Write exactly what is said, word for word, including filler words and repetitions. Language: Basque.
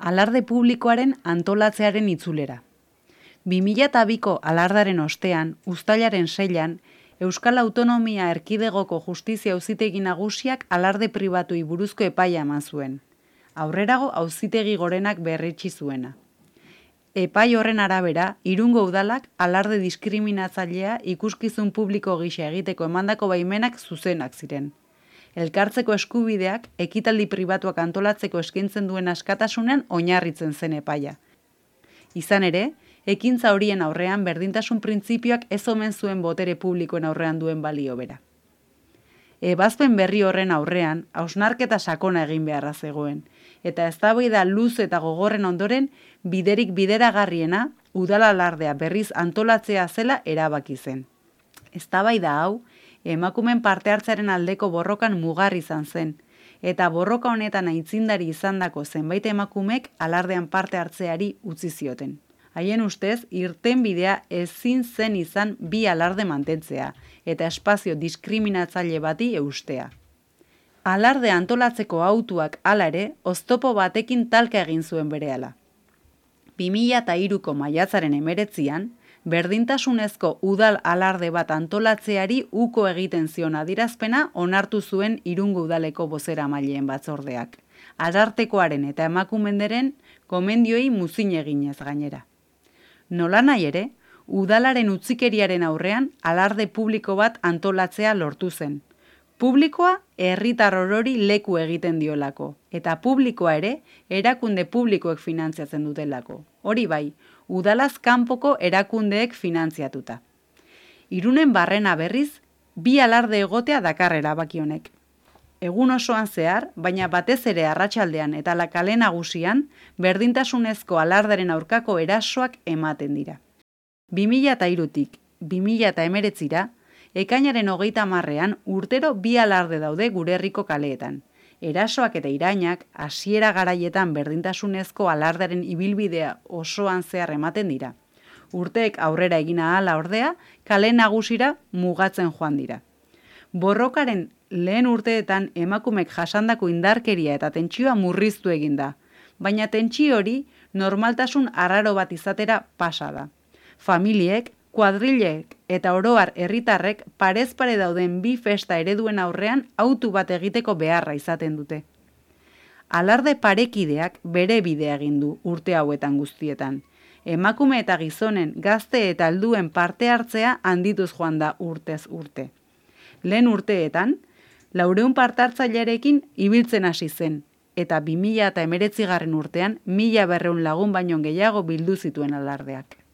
Alarde publikoaren antolatzearen itzulera. bi mila biko alardaren ostean, uztailaren seian, Euskal Autonomia Erkidegoko Justizia Auzitegi Nagusiak alarde pribatuei buruzko epaia eman zuen. Aurrerago Auzitegi Gorenak berretsi zuena. Epai horren arabera, Irungo udalak alarde diskriminatzailea ikuskizun publiko gisa egiteko emandako baimenak zuzenak ziren. Elkartzeko eskubideak ekitaldi pribatuak antolatzeko eskaintzen duen askatasunean oinarritzen zen epaia. Izan ere, ekintza horien aurrean berdintasun printzipioak ez omen zuen botere publikoen aurrean duen balio bera. Ebazpen berri horren aurrean, hausnarketa sakona egin beharra zegoen, eta eztabaida luze eta gogorren ondoren biderik bideragarriena udal alardea berriz antolatzea zela erabaki zen. Eztabaida hau, emakumen parte hartzearen aldeko borrokan mugarri izan zen, eta borroka honetan aitzindari izandako zenbait emakumek alardean parte hartzeari utzi zioten. Haien ustez, irtenbidea ezin zen izan bi alarde mantentzea, eta espazio diskriminatzaile bati eustea. Alarde antolatzeko autuak hala ere, oztopo batekin talka egin zuen berehala. bi mila hiruko maiatzaren hemeretzian, berdintasunezko udal alarde bat antolatzeari uko egiten zion adierazpena onartu zuen Irungo udaleko bozeramaileen batzordeak. Arartekoaren eta emakumenderen gomendioei muzin eginez gainera. Nolanahi ere, udalaren utzikeriaren aurrean alarde publiko bat antolatzea lortu zen. Publikoa herritar orori leku egiten diolako, eta publikoa ere erakunde publikoek finantziatzen dutelako. Hori bai, udalaz kanpoko erakundeek finantziatuta. Irunen barrena berriz, bi alarde egotea dakar erabaki honek. Egun osoan zehar, baina batez ere arratsaldean eta la kale nagusian, berdintasunezko alardaren aurkako erasoak ematen dira. bi mila hirutik bi mila hemeretzira, ekainaren hogeita hamarrean urtero bi alarde daude gure herriko kaleetan. Erasoak eta irainak hasiera garaietan berdintasunezko alardaren ibilbidea osoan zehar ematen dira. Urteek aurrera egin ahala ordea, kale nagusira mugatzen joan dira. Borrokaren lehen urteetan emakumek jasandako indarkeria eta tentsioa murriztu egin da, baina tentsio hori normaltasun arraro bat izatera pasa da. Familiek, kuadrilek eta oroar herritarrek parez pare dauden bi festa ereduen aurrean autu bat egiteko beharra izaten dute. Alarde parekideak bere bidea egin du urte hauetan guztietan. Emakume eta gizonen, gazte eta helduen parte hartzea handituz joan da urtez urte. Lehen urteetan, laurehun parte hartzailearekin ibiltzen hasi zen, eta bi mila hemeretzigarren urtean mila berrehun lagun baino gehiago bildu zituen alardeak.